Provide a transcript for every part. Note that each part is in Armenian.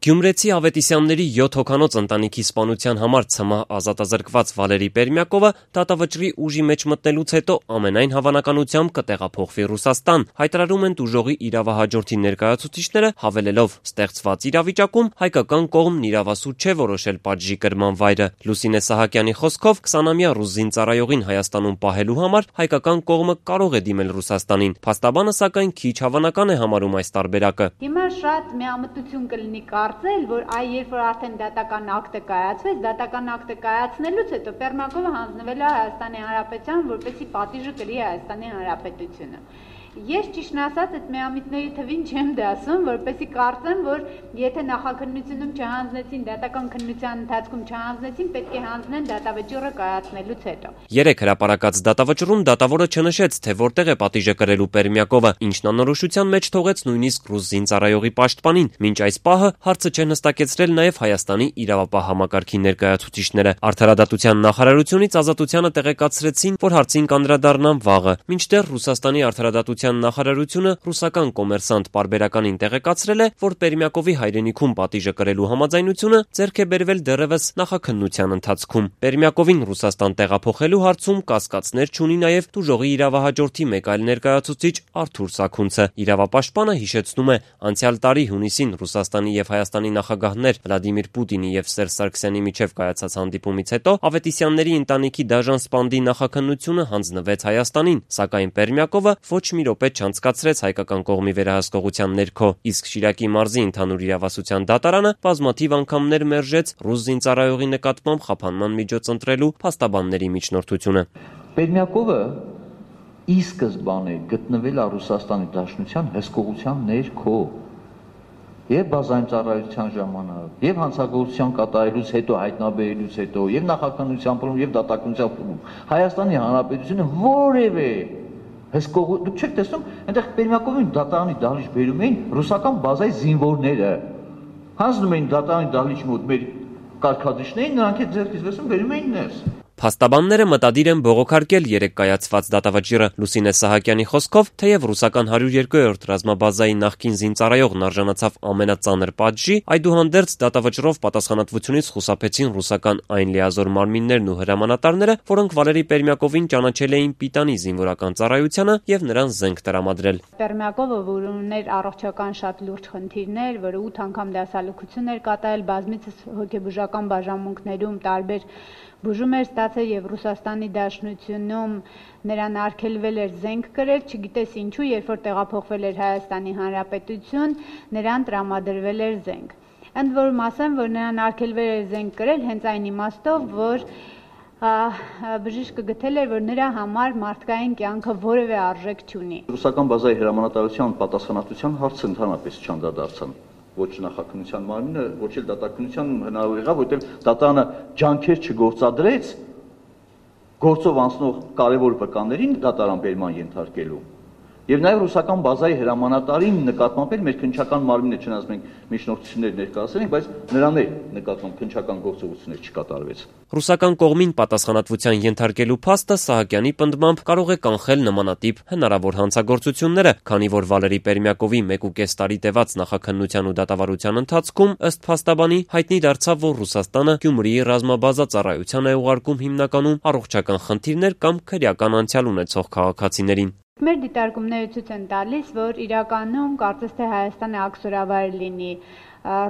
Գյումրեցի Ավետիսյանների 7 հոգանոց ընտանիքի սպանության համար ՑՄՀ ազատազրկված Վալերի Պերմյակովը դատավճռի ուժի մեջ մտնելուց հետո ամենայն հավանականությամբ կտեղափոխվի Ռուսաստան, հայտարարում են տուժողի իրավահաջորդի ներկայացուցիչները, հավելելով՝ ստեղծված իրավիճակում հայկական կողմն իրավասու չէ որոշել պատժի կրման վայրը։ Լուսինե Սահակյանի խոսքով 20-ամյա ռուս զինծառայողին Հայաստանում պահելու համար հայկական կողմը կարող է դիմել Ռուսաստանին։ Փաստաբանը սակայն քիչ հավանական է համարում այս տարբերակը։ Հիմա շատ միամտություն կլինի կարծել, որ երբ որ արդեն դատական ակտը կայացվեց, դատական ակտը կայացնելուց հետո Պերմյակովը հանձնվել է Հայաստանի Հանրապետության, որպեսզի պատիժը կրի Հայաստանի Հանրապետությունը։ Ես ճիշտն ասած այդ միամիտների թվին չեմ դասում, որպեսզի կարծեմ, որ եթե նախաքննությունում չհանձնեցին, դատական քննության ընթացքում չհանձնեցին, պետք է հանձնեն դատավճիռը կայացնելուց հետո։ 3 հրապարակած դատավճռում դատավորը չնշեց, թե որտեղ է պատիժը կրելու Պերմյակովը, ինչն անորոշության մեջ թողեց նույնիսկ ռուս զինծառայողի պաշտպանին։ Մինչ այս պահը հարցը չեն հստակեցրել նաև Հայաստանի իրավապահ համակարգի ներկայացուցիչները։ Արդարադատության նախարարությունից Ազատությանը տեղեկացրեցին, որ հարցին կանդրադառնան վաղը, մինչդեռ Ռուսաստանի արդարադատության նախարարությունը ռուսական կոմերսանտ պարբերականին տեղեկացրել է, որ Պերմյակովի հայրենիքում պատիժը կրելու համաձայնությունը ձեռք է բերվել դեռևս նախաքննության ընթացքում։ Պերմյակովին Ռուսաստան տեղափոխելու հարցում կասկածներ չունի նաև տուժողի իրավահաջորդի մեկ այլ ներկայացուցիչ Արթուր Սաքունցը։ Իրավապաշտպանը հիշեցնում է, անցյալ տարի հունիսին Ռուսաստանի եւ Հայաստանի նախագահներ Վլադիմիր Պուտինի եւ Սերժ Սարգսյանի միջև կայացած հանդիպումից հետո Ավետիսյանների ընտանիքի դաժան սպանդի նախաքննությունը հանձնվեց Հայաստանին, սակայն Պերմյակովը ոչ մի րոպե չանցկացրեց հայկական կողմի վերահսկողության ներքո, իսկ Շիրակի մարզի ընդհանուր իրավասության դատարանը բազմաթիվ անգամներ մերժեց ռուս զինծառայողի նկատմամբ խափանման միջոց ընտրելու փաստաբանների միջնորդությունը։ Պերմյակովը ի սկզբանե գտնվել է Ռուսաստանի Դաշնության հսկողության ներքո եւ բազային ծառայության ժամանակ, եւ հանցագործության կատարելուց հետո, հայտնաբերելուց հետո, եւ նախաքննության փուլում, եւ դատականության փուլում Հայաստանի Հանրապետությունը որևէ հսկող, դուք չեք տեսնում, այնտեղ Պերմյակովին դատարանի դահլիճ բերում էին ռուսական բազայի զինվորները, հանձնում էին դատարանի դահլիճի մոտ մեր կարգադրիչներին, նրանք այդ ձեռքից վերցնում բերում էին ներս։ Փաստաբանները մտադիր են բողոքարկել 3 կայացված դատավճիռը։ Լուսինե Սահակյանի խոսքով, թեև ռուսական 102-րդ ռազմաբազայի նախկին զինծառայողն արժանացավ ամենածանր պատժի, այդուհանդերձ դատավճռով պատասխանատվությունից խուսափեցին ռուսական այն լիազոր մարմիններն ու հրամանատարները, որոնք Վալերի Պերմյակովին ճանաչել էին պիտանի զինվորական ծառայությանը եւ նրան զենք տրամադրել։ Պերմյակովը, որ ուներ առողջական շատ լուրջ խնդիրներ, որը 8 անգամ դասալուծություն էր կատարել, բազմիցս հոգեբուժական բաժանմունքներում տարբեր բուժում էր ստացել եւ Ռուսաստանի Դաշնությունում նրան արգելվել էր զենք կրել, չգիտես ինչու, երբ որ տեղափոխվել էր Հայաստանի Հանրապետություն, նրան տրամադրվել էր զենք։ Ընդ որում ասեմ, որ նրան արգելվել էր զենք կրել հենց այն իմաստով, որ բժիշկը գտել էր, որ նրա համար մարդկային կյանքը որևէ արժեք չունի։ Ռուսական բազայի հրամանատարության պատասխանատվության հարցը ընդհանրապես չանդրադարձան։ Ոչ նախաքննության մարմինը, ոչ էլ դատականության հնարավոր եղավ, որտեղ դատարանը ջանքեր չգործադրեց գործով անցնող կարևոր վկաներին դատարան բերման ենթարկելու։ Եվ նաև ռուսական բազայի հրամանատարին նկատմամբ էլ մեր քննչական մարմինը չնայած մենք միջնորդություններ ներկայացրել ենք, բայց նրան էլ նկատմամբ քննչական գործողություններ չկատարվեց։ Ռուսական կողմին պատասխանատվության ենթարկելու փաստը Սահակյանի պնդմամբ կարող է կանխել նմանատիպ հնարավոր հանցագործությունները, քանի որ Վալերի Պերմյակովի 1.5 տարի տևած նախաքննության ու դատավարության ընթացքում ըստ փաստաբանի հայտնի դարձավ, որ Ռուսաստանը Գյումրիի ռազմաբազա ծառայության է ուղարկում հիմնականում առողջական խնդիրներ կամ քրեական անցյալ ունեցող քաղաքացիներին։ Մեր դիտարկումները ցույց են տալիս, որ իրականում կարծես թե Հայաստանը աքսորավայր լինի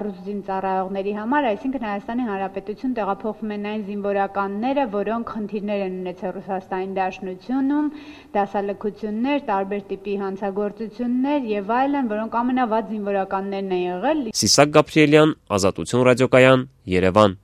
ռուս զինծառայողների համար, այսինքն Հայաստանի Հանրապետություն տեղափոխվում են այն զինվորականները, որոնք խնդիրներ են ունեցել Ռուսաստանի Դաշնությունում, դասալքություններ, տարբեր տիպի հանցագործություններ եւ այլն, որոնք ամենավատ զինվորականներն են եղել։ Սիսակ Գաբրիելյան, Ազատություն ռադիոկայան, Երևան։